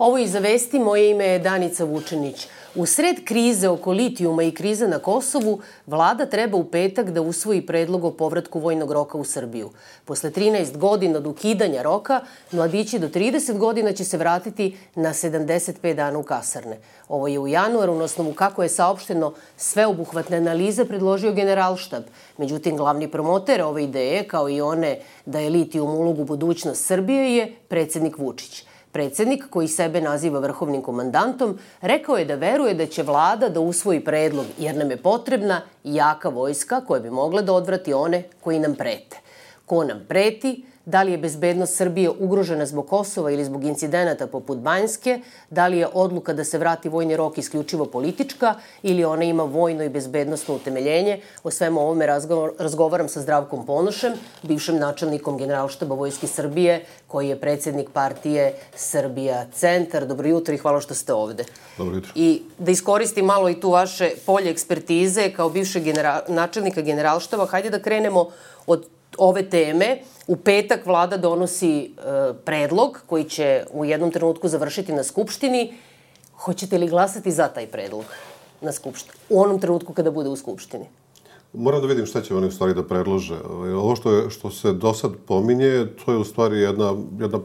Ovo je Iza vesti, moje ime je Danica Vučenić. U sred krize oko litijuma i krize na Kosovu, vlada treba u petak da usvoji predlog o povratku vojnog roka u Srbiju. Posle 13 godina od ukidanja roka, mladići do 30 godina će se vratiti na 75 dana u kasarne. Ovo je u januaru, na osnovu kako je saopšteno sveobuhvatne analize, predložio Generalštab. Međutim, glavni promoter ove ideje, kao i one da je litijum ulogu budućnost Srbije, je predsednik Vučić. Predsednik, koji sebe naziva vrhovnim komandantom, rekao je da veruje da će vlada da usvoji predlog jer nam je potrebna jaka vojska koja bi mogla da odvrati one koji nam prete. Ko nam preti? Da li je bezbednost Srbije ugrožena zbog Kosova ili zbog incidenata poput Banjske? Da li je odluka da se vrati vojni rok isključivo politička ili ona ima vojno i bezbednostno utemeljenje? O svemu ovome razgovaram sa Zdravkom Ponošem, bivšim načelnikom Generalštaba Vojske Srbije, koji je predsednik partije Srbija Centar. Dobro jutro i hvala što ste ovde. Dobro jutro. I da iskoristim malo i tu vaše polje ekspertize kao bivšeg načelnika Generalštaba, hajde da krenemo od ove teme. U petak vlada donosi predlog koji će u jednom trenutku završiti na Skupštini. Hoćete li glasati za taj predlog na Skupštini? U onom trenutku kada bude u Skupštini? Moram da vidim šta će oni u stvari da predlože. Ovo što se do sad pominje, to je u stvari jedna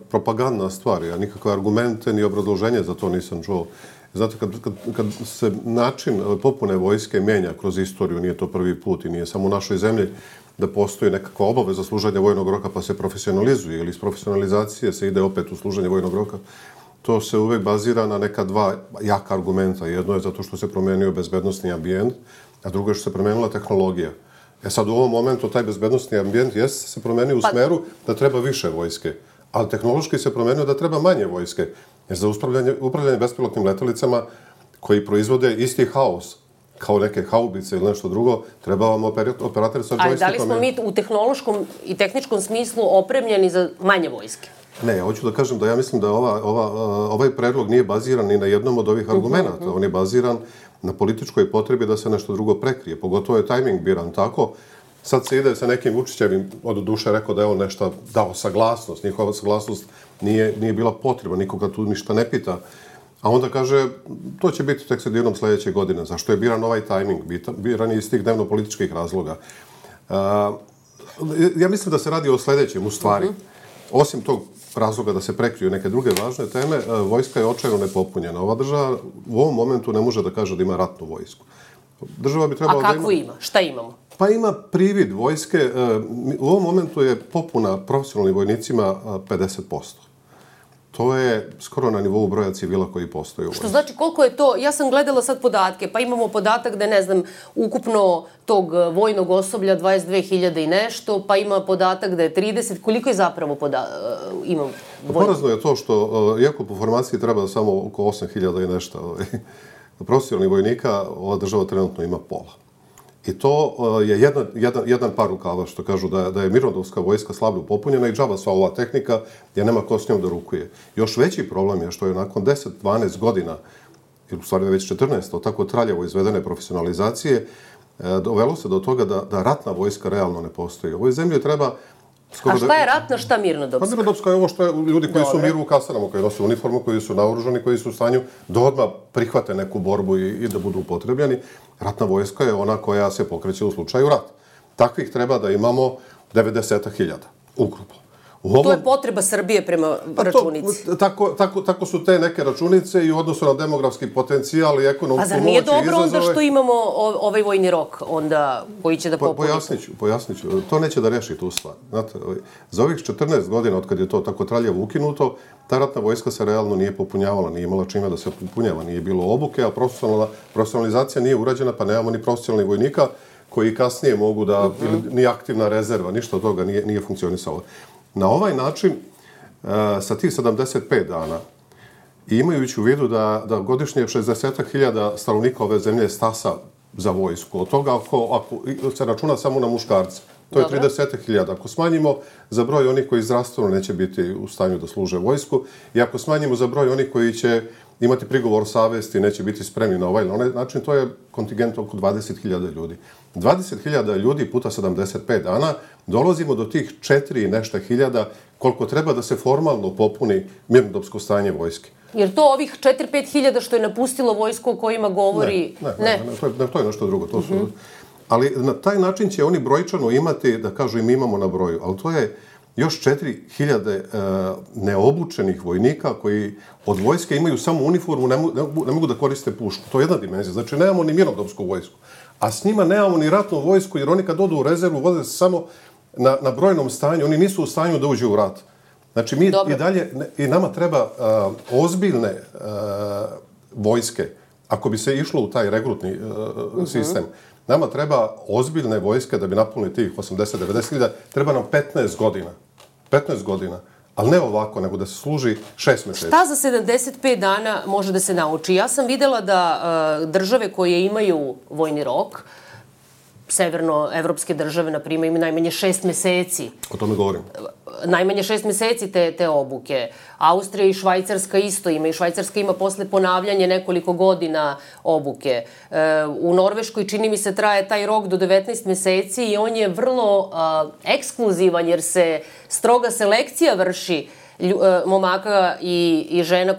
propagandna stvar. Ja nikakve argumente ni obrazloženje za to nisam čuo. Znate, kad se način popune vojske menja kroz istoriju, nije to prvi put i nije samo u našoj zemlji, da postoji nekakva obaveza služenja vojnog roka pa se profesionalizuje ili iz profesionalizacije se ide opet u služenje vojnog roka, to se uvek bazira na neka dva jaka argumenta. Jedno je zato što se promenio bezbednosni ambijent, a drugo je što se promenila tehnologija. Sad u ovom momentu taj bezbednosni ambijent se promenio u smeru da treba više vojske, ali tehnološki se promenio da treba manje vojske. Jer za upravljanje bespilotnim letelicama koji proizvode isti haos, kao neke haubice ili nešto drugo, treba vam operator sa džojstikom. Ali da li smo mi u tehnološkom i tehničkom smislu opremljeni za manje vojske? Ne, ja hoću da kažem da ja mislim da ovaj predlog nije baziran ni na jednom od ovih argumenta. On je baziran na političkoj potrebi da se nešto drugo prekrije. Pogotovo je tajming biran tako. Sad se ide sa nekim Vučićevim, od duše rekao da je on nešto dao saglasnost. Njihova saglasnost nije bila potreba, nikoga tu ništa ne pita. A onda kaže, to će biti tek sredinom sledeće godine. Zašto je biran ovaj tajming? Biran je iz tih dnevno-političkih razloga. Ja mislim da se radi o sledećem, u stvari. Osim tog razloga da se prekriju neke druge važne teme, vojska je očajno nepopunjena. Ova država u ovom momentu ne može da kaže da ima ratnu vojsku. Država bi trebala da ima... A kakvu ima? Šta imamo? Pa ima privid vojske. U ovom momentu je popuna profesionalnim vojnicima 50%. To je skoro na nivou broja civila koji postoji u vojsci. Što znači koliko je to, ja sam gledala sad podatke, pa imamo podatak da je, ne znam, ukupno tog vojnog osoblja 22.000 i nešto, pa ima podatak da je 30, koliko je zapravo ima vojnog? Porazno je to što, iako po formaciji treba samo oko 8.000 i nešto, profesionalnih vojnika ova država trenutno ima pola. I to je jedan par rukava, što kažu da je mirnodopska vojska slabo popunjena i džaba sva ova tehnika, jer nema ko s njom da rukuje. Još veći problem je što je nakon 10-12 godina, ili u stvari već 14, od tako traljavo izvedene profesionalizacije, dovelo se do toga da ratna vojska realno ne postoji. U ovoj zemlji treba... A šta je ratna, šta mirnodopska? Pa mirnodopska je ovo što je ljudi koji su u miru u kasarama, koji nose uniformu, koji su naoružani, koji su u stanju da odmah prihvate neku borbu i da budu upotrebljeni. Ratna vojska je ona koja se pokreće u slučaju rata. Takvih treba da imamo 90.000 ukupno. To je potreba Srbije prema računici. Tako su te neke računice i u odnosu na demografski potencijal i ekonomsku moć i izazove. A zar nije dobro onda što imamo ovaj vojni rok onda koji će da popuni? Pojasniću. To neće da reši tu stvar. Znate, za ovih 14 godina od kad je to tako traljavo ukinuto, ta ratna vojska se realno nije popunjavala, nije imala čime da se popunjava, nije bilo obuke, a profesionalizacija nije urađena, pa nemamo ni profesionalnih vojnika koji kasnije mogu da, ni aktivna rezerva, ništa od toga nije funkcionisalo. Na ovaj način, sa tih 75 dana, i imajući u vidu da godišnje 60.000 stanovnika ove zemlje stasa za vojsku, od toga ako se računa samo na muškarce, to je 30.000. Ako smanjimo za broj onih koji zdravstveno neće biti u stanju da služe vojsku i ako smanjimo za broj onih koji će imati prigovor savesti, neće biti spremni na ovaj ili onaj način, to je kontingent oko 20.000 ljudi. 20.000 ljudi puta 75 dana, dolazimo do tih 4 i nešto hiljada koliko treba da se formalno popuni mirnodopsko stanje vojske. Jer to ovih 4-5 hiljada što je napustilo vojsku o kojima govori... Ne, to je nešto drugo. Ali na taj način će oni brojčano imati, da kažu i mi imamo na broju, ali to je još 4.000 neobučenih vojnika koji od vojske imaju samo uniformu, ne mogu da koriste pušku. To je jedna dimenzija. Znači, nemamo ni mirnodopsku vojsku. A s njima nemamo ni ratnu vojsku, jer oni kad odu u rezervu voze se samo na brojnom stanju. Oni nisu u stanju da uđu u rat. Znači, mi i dalje, i nama treba ozbiljne vojske, ako bi se išlo u taj regrutni sistem. Nama treba ozbiljne vojske da bi napunili tih 80-90 hiljada. Treba nam 15 godina. 15 godina. Ali ne ovako, nego da se služi 6 meseci. Šta za 75 dana može da se nauči? Ja sam videla da države koje imaju vojni rok, severnoevropske države, na primjer, imaju najmanje 6 meseci. O tome govorim. Najmanje 6 meseci te obuke. Austrija i Švajcarska isto ima. I Švajcarska ima posle ponavljanje nekoliko godina obuke. U Norveškoj, čini mi se, traje taj rok do 19 meseci i on je vrlo ekskluzivan jer se stroga selekcija vrši momaka i žena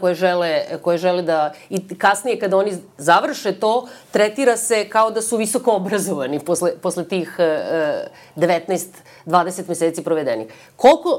koje žele da... I kasnije kada oni završe to, tretira se kao da su visoko obrazovani posle tih 19-20 meseci provedenih.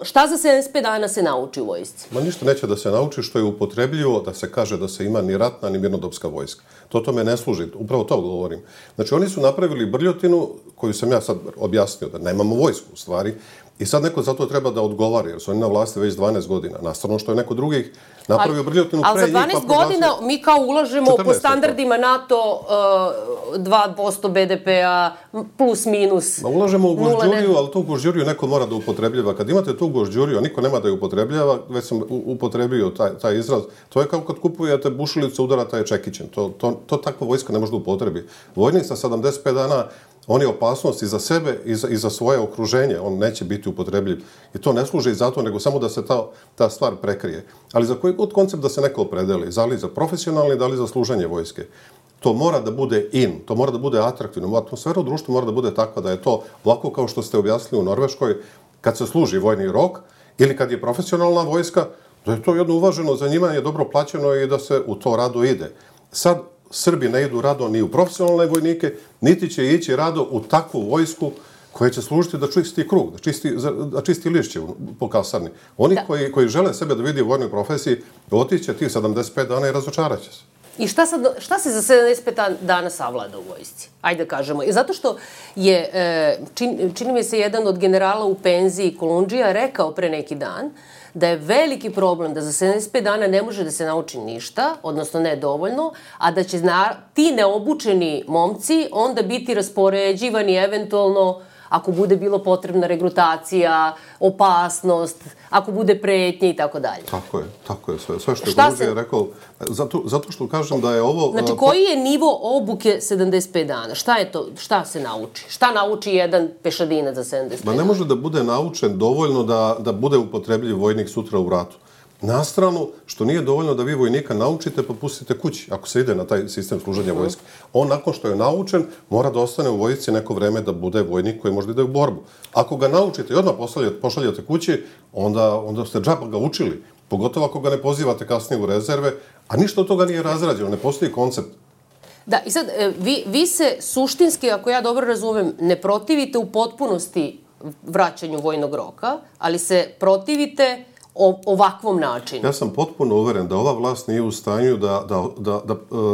Šta za 75 dana se nauči u vojsci? Ma ništa neće da se nauči što je upotrebljivo da se kaže da se ima ni ratna ni mirnodopska vojska. To tome ne služi. Upravo to govorim. Znači, oni su napravili brljotinu koju sam ja sad objasnio, da nemamo vojsku u stvari. I sad neko za to treba da odgovara, jer su oni na vlasti već 12 godina. Nastavno što je neko drugih napravio brljotinu pre njih. Ali za 12 godina mi kao ulažemo po standardima NATO 2% BDP-a plus minus. Ulažemo u gužđuriju, ali tu gužđuriju neko mora da upotrebljava. Kad imate tu gužđuriju, a niko nema da je upotrebljava, već sam upotrebio taj izraz, to je kao kad kupujete bušilicu, udarata je čekićem. To takva vojska ne može da upotrebi. Vojnik sa 75 dana, on je opasnost i za sebe i za svoje okruženje. On neće biti upotrebljiv. I to ne služi za to, nego samo da se ta stvar prekrije. Ali za koji god koncept da se neko opredeli? Da li za profesionalni, da li za služenje vojske? To mora da bude to mora da bude atraktivno. Atmosfera u društvu mora da bude takva da je to ovako kao što ste objasnili u Norveškoj, kad se služi vojni rok ili kad je profesionalna vojska, da je to jedno uvaženo zanimanje, dobro plaćeno i da se u to rado ide. Sad, Srbi ne idu rado ni u profesionalne vojnike, niti će ići rado u takvu vojsku koja će služiti da čisti krug, da čisti lišće po kasarni. Oni koji žele sebe da vidi u vojnoj profesiji, otiće tih 75 dana i razočarat će se. I šta se za 75 dana savlada u vojsci? Ajde da kažemo. I zato što je, čini mi se, jedan od generala u penziji Kolundžija rekao pre neki dan da je veliki problem da za 75 dana ne može da se nauči ništa, odnosno ne dovoljno, a da će ti neobučeni momci onda biti raspoređivani eventualno ako bude bilo potrebna regrutacija, opasnost, ako bude pretnje i tako dalje. Tako je. Sve što je Kolundžija rekao, zato što kažem da je ovo... Znači, koji je nivo obuke 75 dana? Šta je to? Šta se nauči? Šta nauči jedan pešadinac za 75 dana? Ne može da bude naučen dovoljno da bude upotrebljiv vojnik sutra u ratu. Na stranu, što nije dovoljno da vi vojnika naučite pa pustite kući, ako se ide na taj sistem služenja vojske. On, nakon što je naučen, mora da ostane u vojsci neko vreme da bude vojnik koji može da ide u borbu. Ako ga naučite i odmah pošaljate kući, onda ste džaba ga učili. Pogotovo ako ga ne pozivate kasnije u rezerve, a ništa od toga nije razrađeno, ne postoji koncept. Da, i sad, vi se suštinski, ako ja dobro razumem, ne protivite u potpunosti vraćanju vojnog roka, ali se protivite ovakvom načinu. Ja sam potpuno uveren da ova vlast nije u stanju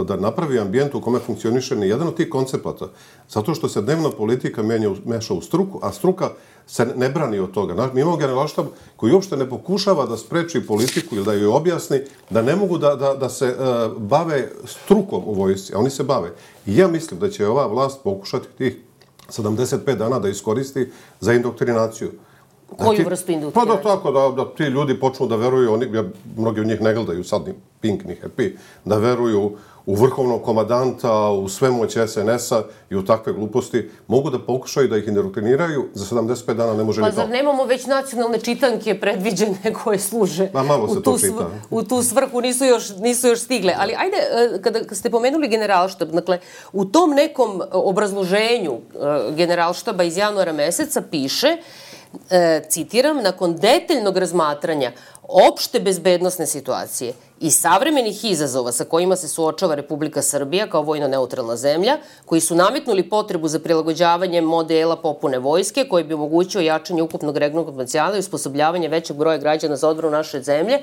da napravi ambijent u kome funkcioniše ni jedan od tih koncepata. Zato što se dnevna politika meša u struku, a struka se ne brani od toga. Mi imamo generalštab koji uopšte ne pokušava da spreči politiku ili da joj objasni da ne mogu da se bave strukom u vojsci, a oni se bave. I ja mislim da će ova vlast pokušati tih 75 dana da iskoristi za indoktrinaciju. Koju vrstu indukcije? Pa tako, da ti ljudi počnu da veruju, mnogi od njih ne gledaju sad ni Pink, ni Happy, da veruju u vrhovnog komadanta, u svemoć SNS-a i u takve gluposti, mogu da pokušaju da ih indoktriniraju, za 75 dana ne može ni to. Pa zar nemamo već nacionalne čitanke predviđene koje služe u tu svrhu, nisu još stigle. Ali ajde, kada ste pomenuli generalštab, dakle, u tom nekom obrazloženju generalštaba iz januara meseca piše, citiram, nakon detaljnog razmatranja, opšte bezbednosne situacije i savremenih izazova sa kojima se suočava Republika Srbija kao vojno neutralna zemlja, koji su nametnuli potrebu za prilagođavanje modela popune vojske, koji bi omogućio jačanje ukupnog regionalnog potencijala i usposobljavanje većeg broja građana za odbranu naše zemlje,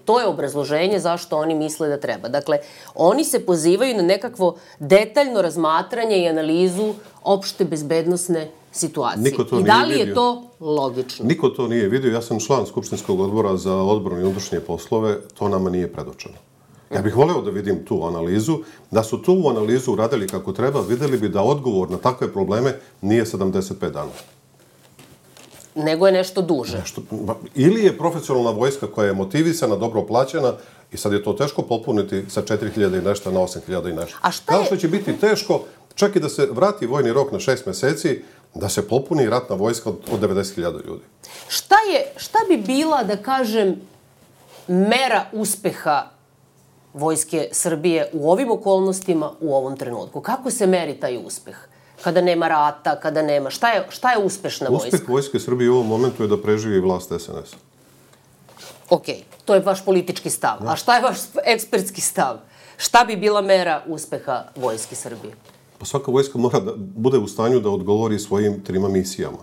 to je obrazloženje zašto oni misle da treba. Dakle, oni se pozivaju na nekakvo detaljno razmatranje i analizu opšte bezbednosne situacije. I da li je to logično? Niko to nije vidio. Ja sam član Skupštinskog odbora za odbranu i unutrašnje poslove. To nama nije predočeno. Ja bih voleo da vidim tu analizu. Da su tu analizu uradili kako treba, videli bi da odgovor na takve probleme nije 75 dana. Nego je nešto duže. Ili je profesionalna vojska koja je motivisana, dobro plaćena i sad je to teško popuniti sa 4.000 i nešto na 8.000 i nešto. Kao što će biti teško čak i da se vrati vojni rok na 6 meseci, da se popuni ratna vojska od 90.000 ljudi. Šta bi bila, da kažem, mera uspeha Vojske Srbije u ovim okolnostima u ovom trenutku? Kako se meri taj uspeh? Kada nema rata, kada nema... Šta je uspešna vojska? Uspeh Vojske Srbije u ovom momentu je da preživi vlast SNS-a. Okej, to je vaš politički stav. A šta je vaš ekspertski stav? Šta bi bila mera uspeha Vojske Srbije? Pa svaka vojska mora da bude u stanju da odgovori svojim 3 misijama.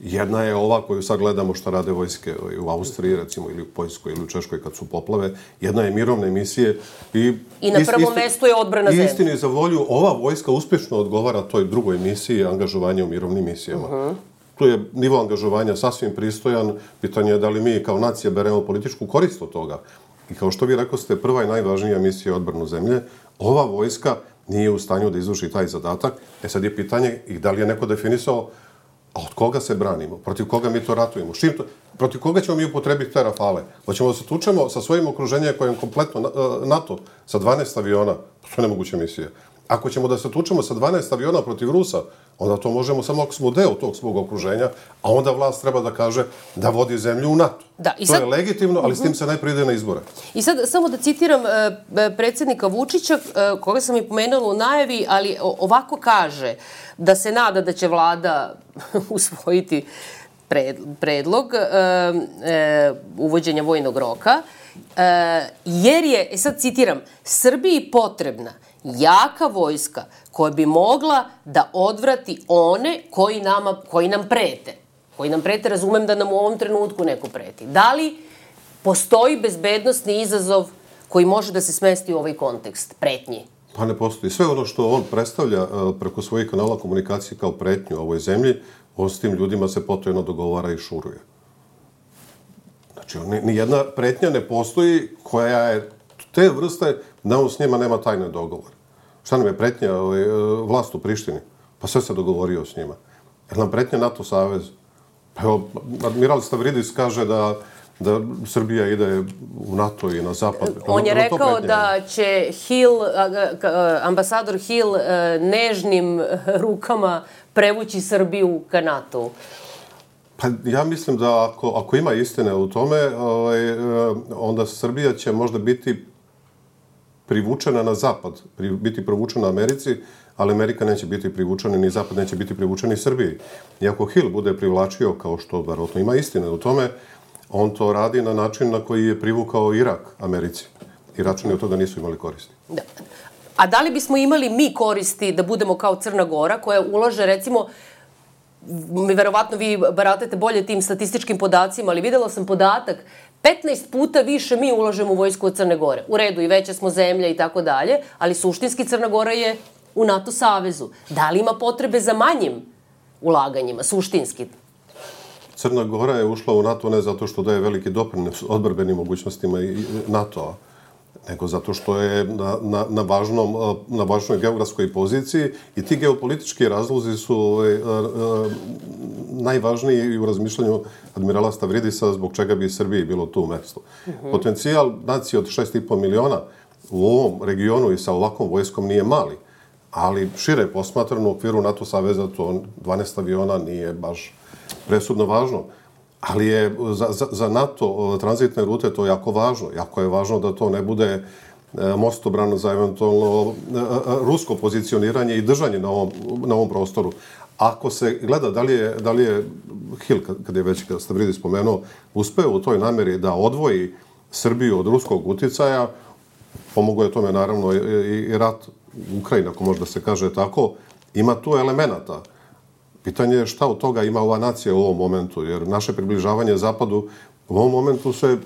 Jedna je ova koju sad gledamo šta rade vojske u Austriji, recimo, ili u Poljskoj, ili u Češkoj kad su poplave. Jedna je mirovne misije. I na prvom mestu je odbrana zemlje. Istini za volju, ova vojska uspješno odgovara toj drugoj misiji, angažovanje u mirovnim misijama. Tu je nivo angažovanja sasvim pristojan. Pitanje je da li mi kao nacija beremo političku korist od toga. I kao što vi rekoste, prva i najvažnija misija je odbranu zemlje. Ova vojska nije u stanju da izvrši taj zadatak. Sad je pitanje i da li je neko definisao a od koga se branimo, protiv koga mi to ratujemo, protiv koga ćemo mi upotrebiti te rafale. Hoćemo da se tučemo sa svojim okruženjem kojem kompletno NATO sa 12 aviona, to je nemoguća misija. Ako ćemo da se tučemo sa 12 aviona protiv Rusa, onda to možemo samo ako smo deo tog svog okruženja, a onda vlast treba da kaže da vodi zemlju u NATO. To je legitimno, ali s tim se najprije ide na izbore. I sad, samo da citiram predsjednika Vučića, koga sam i pomenula u najavi, ali ovako kaže da se nada da će vlada usvojiti predlog uvođenja vojnog roka, jer je, sad citiram, Srbiji potrebna jaka vojska koja bi mogla da odvrati one koji nam prete. Koji nam prete, razumem da nam u ovom trenutku neko preti. Da li postoji bezbednosni izazov koji može da se smesti u ovaj kontekst pretnji? Pa ne postoji. Sve ono što on predstavlja preko svojih kanala komunikacije kao pretnju ovoj zemlji, on s tim ljudima se potojno dogovara i šuruje. Znači, nijedna pretnja ne postoji koja je te vrste da on s njima nema tajne dogovor. Šta nam je pretnja vlast u Prištini? Pa sve se dogovorio s njima. Jer nam pretnja NATO savez? Pa evo, admiral Stavridis kaže da Srbija ide u NATO i na zapad. On je rekao da će ambasador Hill nežnim rukama prevući Srbiju ka NATO-u. Pa ja mislim da ako ima istine u tome, onda Srbija će možda biti privučena na zapad, biti privučena Americi, ali Amerika neće biti privučena, ni zapad neće biti privučeni Srbiji. I ako Hill bude privlačio, kao što verovatno ima istine u tome, on to radi na način na koji je privukao Irak Americi. Iračani od toga nisu imali koristi. Da. A da li bismo imali mi koristi da budemo kao Crna Gora, koja ulaže, recimo, verovatno vi baratate bolje tim statističkim podacima, ali videla sam podatak, 15 puta više mi ulažemo u vojsku od Crne Gore. U redu, i veća smo zemlja i tako dalje, ali suštinski Crna Gora je u NATO savezu. Da li ima potrebe za manjim ulaganjima, suštinski? Crna Gora je ušla u NATO ne zato što daje veliki doprinos odbrbenim mogućnostima i NATO-a, nego zato što je na važnoj geografskoj poziciji i ti geopolitički razlozi su najvažniji u razmišljanju admirala Stavridisa zbog čega bi Srbiji bilo tu mesto. Potencijal nacije od 6,5 miliona u ovom regionu i sa ovakvom vojskom nije mali, ali šire posmatrano u okviru NATO saveza to 12 aviona nije baš presudno važno. Ali je za NATO tranzitne rute to jako važno. Jako je važno da to ne bude mostobran za eventualno rusko pozicioniranje i držanje na ovom prostoru. ako se gleda da li je Hill, kad je već Stavridis spomenuo, uspeo u toj nameri da odvoji Srbiju od ruskog uticaja, pomogao je tome naravno i rat u Ukrajini, ako može da se kaže tako, ima tu elemenata. Pitanje je šta od toga ima ova nacija u ovom momentu, jer naše približavanje Zapadu u ovom momentu se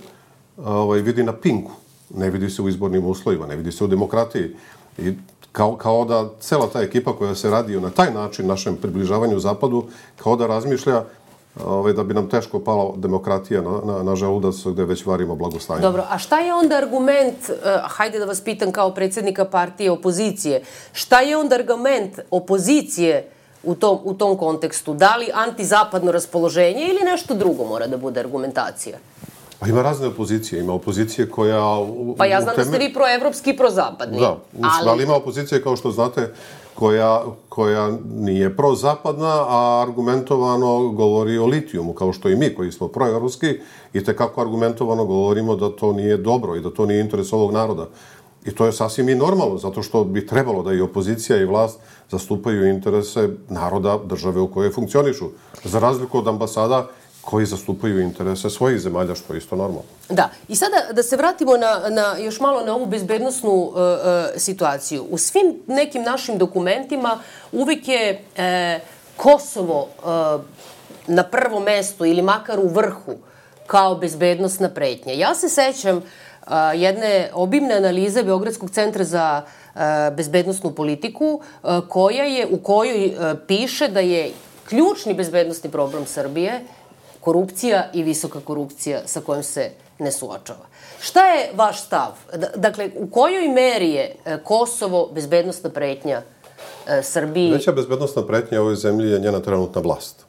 vidi na pinku, ne vidi se u izbornim uslovima, ne vidi se u demokratiji. I kao da cela ta ekipa koja se radi na taj način našem približavanju Zapadu, kao da razmišlja da bi nam teško pala demokratija na želudac gde već varimo blagostanje. Dobro, a šta je onda argument, hajde da vas pitam kao predsjednika partije opozicije, šta je onda argument opozicije u tom kontekstu? Da li antizapadno raspoloženje ili nešto drugo mora da bude argumentacija? Pa ima razne opozicije. Ima opozicije koja... Pa ja znam da ste vi proevropski i prozapadni. Da, ali ima opozicije, kao što znate, koja nije prozapadna, a argumentovano govori o litijumu, kao što i mi koji smo proevropski i tekako argumentovano govorimo da to nije dobro i da to nije interes ovog naroda. I to je sasvim i normalno, zato što bi trebalo da i opozicija i vlast zastupaju interese naroda, države u kojoj funkcionišu. Za razliku od ambasada koji zastupaju interese svojih zemalja, što je isto normalno. Da. I sada da se vratimo još malo na ovu bezbednosnu situaciju. U svim nekim našim dokumentima uvijek je Kosovo na prvom mestu ili makar u vrhu kao bezbednosna pretnja. Ja se sećam jedne obimne analize Beogradskog centra za bezbednosnu politiku u kojoj piše da je ključni bezbednosni problem Srbije korupcija i visoka korupcija sa kojom se ne suočava. Šta je vaš stav? Dakle, u kojoj meri je Kosovo bezbednosna pretnja Srbiji? Veća bezbednosna pretnja ovoj zemlji je njena trenutna vlast.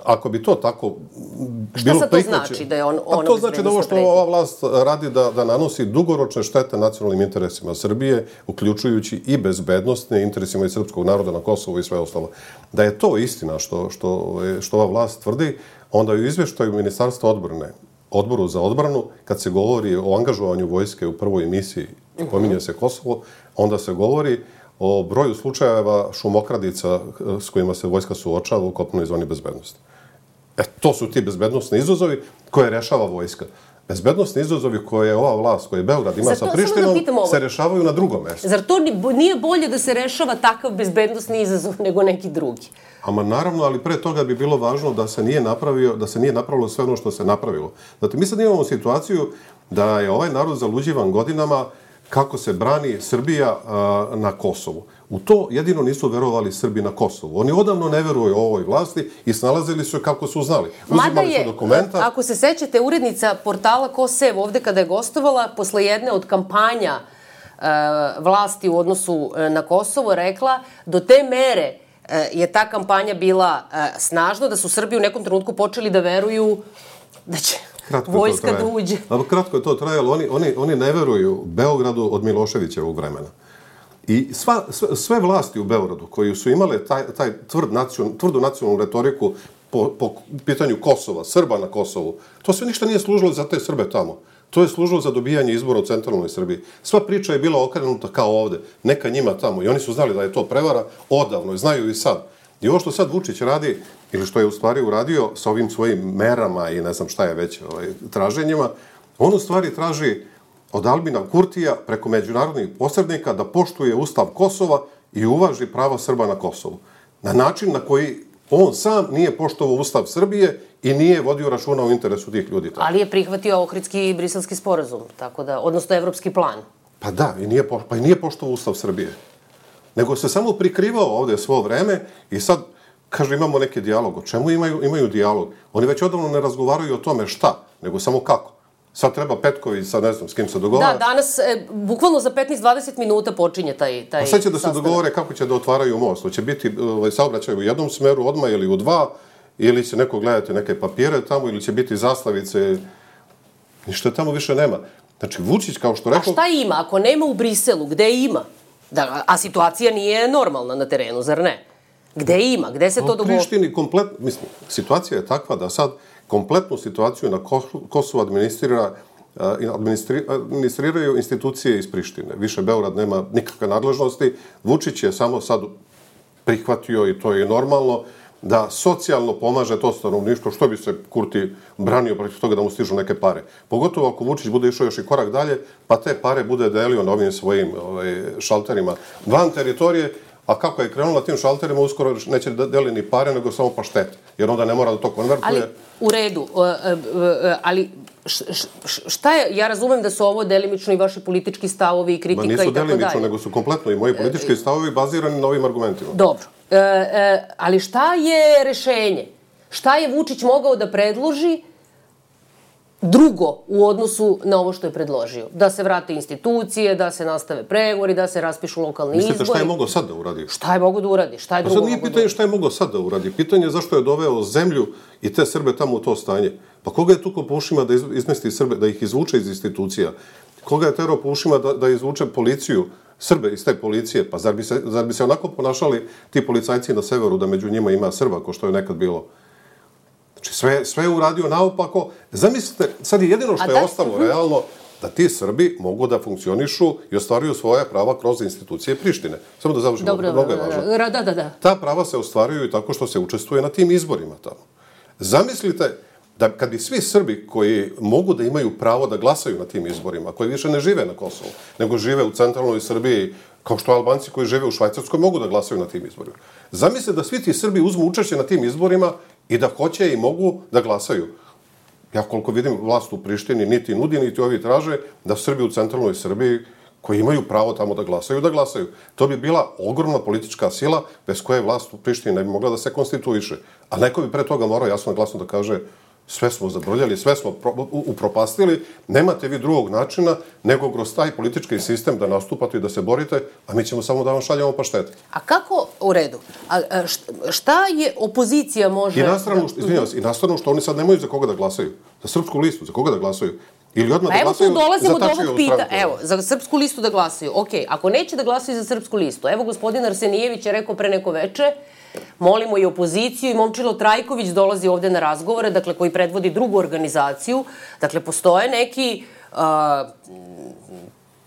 Ako bi to tako bilo prihvaćeno... Šta sad to znači da je ona bezbednosna pretnja? To znači da ovo što ova vlast radi da nanosi dugoročne štete nacionalnim interesima Srbije, uključujući i bezbednostne interesima i srpskog naroda na Kosovu i sve ostalo. Da je to istina što ova vlast tvrdi, onda u izveštaju Ministarstva odbrane, Odboru za odbranu, kad se govori o angažovanju vojske u prvoj misiji, pominje se Kosovo, onda se govori o broju slučajeva šumokradica s kojima se vojska suočava u kopnoj zoni bezbednosti. To su ti bezbednostni izazovi koje rešava vojska. Bezbednostni izazovi koje ova vlast, koje Beograd ima sa Prištinom, se rešavaju na drugom mjestu. Zar to nije bolje da se rešava takav bezbednosni izazov nego neki drugi? Ama naravno, ali pre toga bi bilo važno da se nije napravilo sve ono što se napravilo. Znate, mi sad imamo situaciju da je ovaj narod zaluđivan godinama kako se brani Srbija na Kosovu. U to jedino nisu verovali Srbi na Kosovu. Oni odavno ne veruju ovoj vlasti i snalazili su kako su znali. Uzimali su dokumenta. Ako se sećate, urednica portala Kosev ovde kada je gostovala, posle jedne od kampanja vlasti u odnosu na Kosovo, rekla do te mere je ta kampanja bila snažna da su Srbi u nekom trenutku počeli da veruju da će vojska da uđe. Kratko je to trajalo. Oni ne veruju Beogradu od Miloševićevog vremena. I sve vlasti u Beogradu koji su imale taj tvrdu nacionalnu retoriku po pitanju Kosova, Srba na Kosovu, to sve ništa nije služilo za te Srbe tamo. To je služilo za dobijanje izbora u centralnoj Srbiji. Sva priča je bila okrenuta kao ovde. Neka njima tamo. I oni su znali da je to prevara odavno i znaju i sad. I ovo što sad Vučić radi, ili što je u stvari uradio sa ovim svojim merama i ne znam šta je već traženjima, on u stvari traži od Albina Kurtija preko međunarodnih posrednika da poštuje Ustav Kosova i uvaži prava Srba na Kosovu. Na način na koji on sam nije poštovao Ustav Srbije i nije vodio računa o interesu tih ljudi. Ali je prihvatio Ohridski i Briselski sporazum, odnosno evropski plan. Pa da, i nije poštovao Ustav Srbije. Nego se samo prikrivao ovde svo vreme i sad, kaže, imamo neki dijalog. O čemu imaju dijalog? Oni već odavno ne razgovaraju o tome šta, nego samo kako. Sad treba Petković, sad ne znam s kim se dogovara. Da, danas, bukvalno za 15-20 minuta počinje taj sastanak. Sad će da se dogovore kako će da otvaraju most. Hoće biti saobraćaj u jednom smeru odmah ili u dva, ili će neko gledati neke papire tamo, ili će biti zaslavice. Ništa tamo više nema. Znači, Vučić, kao što rekao... A šta ima? Ako nema u Briselu, gde ima? A situacija nije normalna na terenu, zar ne? Gde ima? Gde se to dogovori? U Prištini kompletno... Mislim, situacija je takva da sad kompletnu situaciju na Kosovu administriraju institucije iz Prištine. Više Beograd nema nikakve nadležnosti. Vučić je samo sad prihvatio i to je normalno, da socijalno pomaže to stanovništvo, što bi se Kurti branio protiv toga da mu stižu neke pare. Pogotovo ako Vučić bude išao još i korak dalje, pa te pare bude delio na ovim svojim šalterima van teritorije, a kako je krenulo na tim šalterima, uskoro neće da deli ni pare, nego samo paštete, jer onda ne mora da to konvertuje. Ali, u redu, ali šta je, ja razumem da su ovo delimično i vaši politički stavovi i kritika i tako dalje. Ma nisu delimično, nego su kompletno i moji politički stavovi bazirani na ovim argumentima. Dobro, ali šta je rešenje? Šta je Vučić mogao da predloži drugo u odnosu na ovo što je predložio? Da se vrate institucije, da se nastave pregovori, da se raspišu lokalni izbori. Mislite šta je mogao sad da uradi? Šta je mogao da uradi? Šta je drugo mogao da uradi? Sad nije pitanje šta je mogao sad da uradi. Pitanje je zašto je doveo zemlju i te Srbe tamo u to stanje. Pa koga je tukao po ušima da izmesti Srbe, da ih izvuče iz institucija? Koga je terao po ušima da izvuče policiju, Srbe iz te policije? Pa zar bi se onako ponašali ti policajci na severu, da među njima ima Srba, ko što je nekad bilo? Znači, sve je uradio naopako. Zamislite, sad je jedino što je ostalo realno, da ti Srbi mogu da funkcionišu i ostvaruju svoja prava kroz institucije Prištine. Samo da završimo, mnogo je važno. Da. Ta prava se ostvaruju i tako što se učestvuje na tim izborima tamo. Zamislite da kad bi svi Srbi koji mogu da imaju pravo da glasaju na tim izborima, koji više ne žive na Kosovu, nego žive u centralnoj Srbiji, kao što Albanci koji žive u Švajcarskoj mogu da glasaju na tim izborima. Zamislite da svi ti Srbi uzmu učešće na tim izborima i da hoće i mogu da glasaju. Ja koliko vidim, vlast u Prištini niti nudi, niti ovi traže da Srbi u centralnoj Srbiji koji imaju pravo tamo da glasaju. To bi bila ogromna politička sila bez koje vlast u Prištini ne bi mogla da se konstituiše. A neko bi pre toga morao jasno i glasno da kaže sve smo zabrljali, sve smo upropastili, nemate vi drugog načina nego kroz taj politički sistem da nastupate i da se borite, a mi ćemo samo da vam šaljamo paštete. A kako, u redu, šta je opozicija može... I na stranu što oni sad nemaju za koga da glasaju. Za Srpsku listu, za koga da glasaju. Ili odmah da glasaju za Tačijevu stranku. Evo, za Srpsku listu da glasaju. Okej, ako neće da glasaju za Srpsku listu, evo gospodin Arsenijević je rekao pre neko veče, molimo i opoziciju i Momčilo Trajković dolazi ovde na razgovore, dakle, koji predvodi drugu organizaciju. Dakle, postoje neki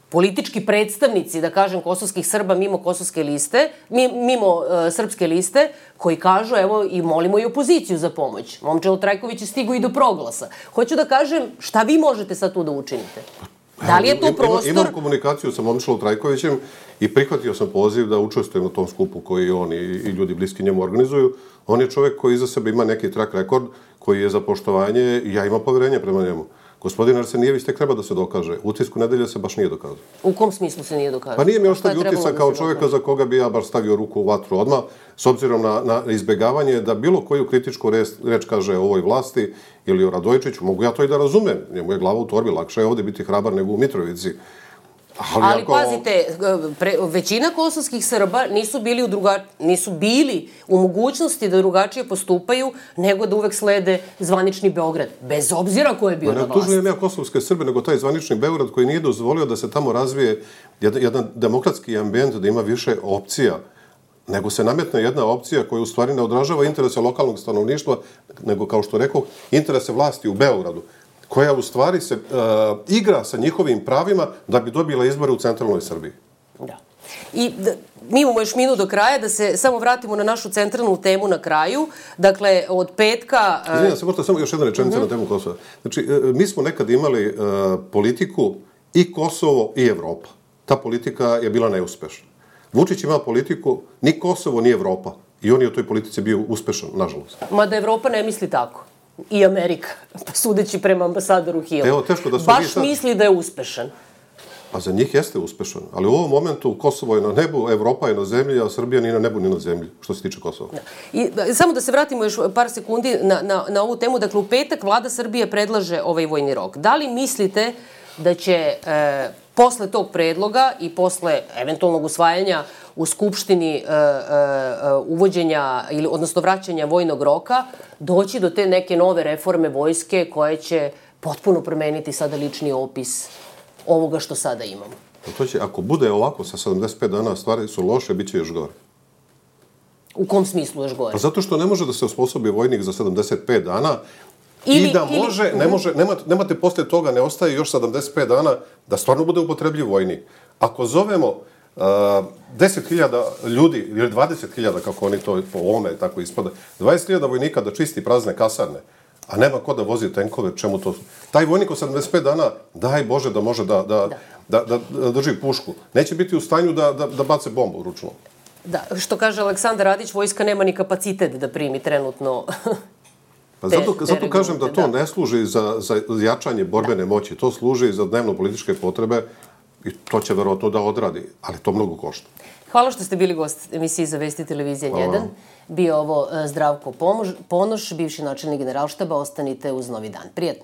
politički predstavnici, da kažem, kosovskih Srba mimo kosovske liste, mimo srpske liste, koji kažu, evo, i molimo i opoziciju za pomoć. Momčilo Trajković je stigao i do proglasa. Hoću da kažem, šta vi možete sad tu da učinite? Da li je to prostor... Imam komunikaciju sa Momčilom Trajkovićem i prihvatio sam poziv da učestvujem na tom skupu koji on i ljudi bliski njemu organizuju. On je čovjek koji iza sebe ima neki track rekord, koji je za poštovanje i ja imam poverenje prema njemu. Gospodin Arsenijević tek treba da se dokaže. Utisku nedelje se baš nije dokazao. U kom smislu se nije dokazao? Pa nije mi ostavio utisak kao čovjeka za koga bi ja baš stavio ruku u vatru odmah, s obzirom na izbjegavanje da bilo koju kritičku reč kaže o ovoj vlasti ili o Radojčiću. Mogu ja to i da razumem. Njemu je glava u torbi, lakše je ovdje biti hrabar nego u Mitrovici. Ali pazite, većina kosovskih Srba nisu bili u mogućnosti da drugačije postupaju nego da uvek slede zvanični Beograd, bez obzira ko je bio na vlasti. Ne tužujem ja kosovske Srbe, nego taj zvanični Beograd koji nije dozvolio da se tamo razvije jedan demokratski ambijent, da ima više opcija, nego se nametne jedna opcija koja u stvari ne odražava interese lokalnog stanovništva, nego, kao što rekao, interese vlasti u Beogradu, koja u stvari se igra sa njihovim pravima da bi dobila izbore u centralnoj Srbiji. Da. I mi imamo još minut do kraja, da se samo vratimo na našu centralnu temu na kraju. Dakle, od petka... Izvinjam se, možda samo još jedna rečenica na temu Kosova. Znači, mi smo nekad imali politiku i Kosovo i Evropa. Ta politika je bila neuspešna. Vučić ima politiku ni Kosovo ni Evropa. I on je u toj politici bio uspešan, nažalost. Mada Evropa ne misli tako. I Amerika, sudeći prema ambasadoru Hillu. Evo, teško da su baš misli da je uspešan. Pa za njih jeste uspešan. Ali u ovom momentu Kosovo je na nebu, Evropa je na zemlji, a Srbija ni na nebu ni na zemlji, što se tiče Kosova. I samo da se vratimo još par sekundi na ovu temu. Dakle, u petak vlada Srbije predlaže ovaj vojni rok. Da li mislite da će posle tog predloga i posle eventualnog usvajanja u Skupštini uvođenja, odnosno vraćanja vojnog roka, doći do te neke nove reforme vojske koje će potpuno promeniti sada lični opis ovoga što sada imamo? To će, ako bude ovako sa 75 dana, stvari su loše, bit će još gore. U kom smislu još gore? Pa zato što ne može da se osposobi vojnik za 75 dana i da može, ne može, nemate posle toga, ne ostaje još 75 dana da stvarno bude upotrebljiv vojnik. Ako zovemo 10.000 ljudi, ili 20.000, kako oni to po ovome tako ispada, 20.000 vojnika da čisti prazne kasarne, a nema ko da vozi tenkove, čemu to? Taj vojnik od 75 dana, daj Bože da može da drži pušku. Neće biti u stanju da bace bombu ručno. Da, što kaže Aleksandar Radić, vojska nema ni kapacitet da primi trenutno. Pa zato kažem da to ne služi za jačanje borbene moći, to služi za dnevno-političke potrebe i to će verovatno da odradi, ali to mnogo košta. Hvala što ste bili gost emisiji za Vesti televizije 1. Bio ovo Zdravko Ponoš, bivši načelnik Generalštaba. Ostanite uz Novi dan. Prijetno.